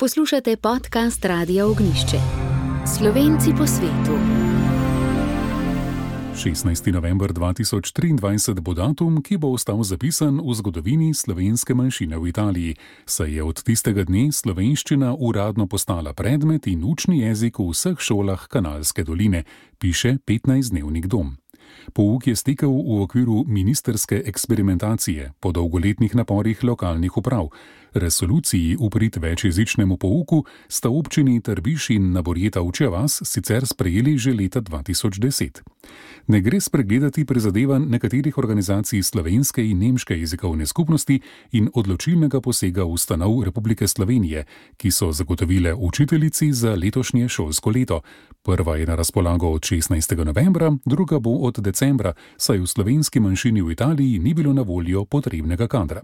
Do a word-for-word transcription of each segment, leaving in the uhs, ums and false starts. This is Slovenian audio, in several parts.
Poslušate podcast Radia Ognjišče. Slovenci po svetu. šestnajsti november dva tisoč triindvajset bo datum, ki bo ostal zapisan v zgodovini slovenske manjšine v Italiji, saj je od tistega dne slovenščina uradno postala predmet in učni jezik v vseh šolah Kanalske doline, piše petnajstdnevnik Dom. Pouk je stekel v okviru ministerske eksperimentacije po dolgoletnih naporih lokalnih uprav. Resoluciji v prid večjezičnemu pouku sta občini Trbiž in Naborjeta Ovčja vas sicer sprejeli že leta dva tisoč deset. Ne gre spregledati prizadevanj nekaterih organizacij slovenske in nemške jezikovne skupnosti in odločilnega posega ustanov Republike Slovenije, ki so zagotovile učiteljici za letošnje šolsko leto. Prva je na razpolago od šestnajstega novembra, druga bo od decembra, saj v slovenski manjšini v Italiji ni bilo na voljo potrebnega kadra.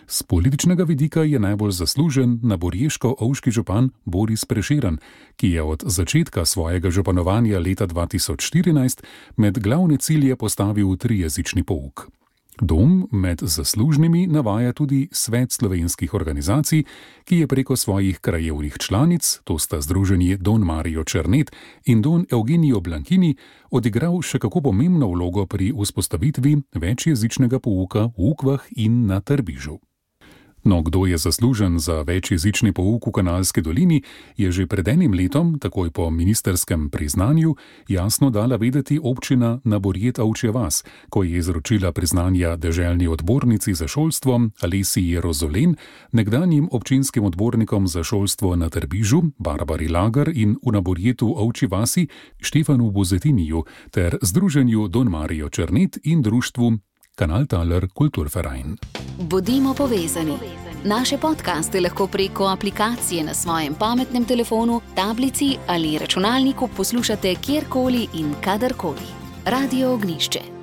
Z političnega vidika je najbolj zaslužen naborješko-ovški župan Boris Prešeren, ki je od začetka svojega županovanja leta dva tisoč štirinajst med glavne cilje postavil trijezični pouk. Dom med zaslužnimi navaja tudi Svet slovenskih organizacij, ki je preko svojih krajevnih članic, to sta združenji Don Mario Černet in Don Eugenio Blankini, odigral še kako pomembno vlogo pri vzpostavitvi večjezičnega pouka v Ukvah in na Trbižu. No, kdo je zaslužen za večjezični pouk v Kanalski dolini, je že pred enim letom, takoj po ministerskem priznanju, jasno dala vedeti občina Naborjeta Ovčja vas, ko je izročila priznanja deželni odbornici za šolstvo Alesiji Rozolen, nekdanjim občinskim odbornikom za šolstvo na Trbižu Barbari Lagar in v Naborjetu Ovčji vasi Štefanu Bozetiniju ter združenju Don Mario Černet in društvu Kanaltaler Kulturverein. Bodimo povezani. Naše podcaste lahko preko aplikacije na svojem pametnem telefonu, tablici ali računalniku poslušate kjerkoli in kadarkoli. Radio Ognjišče.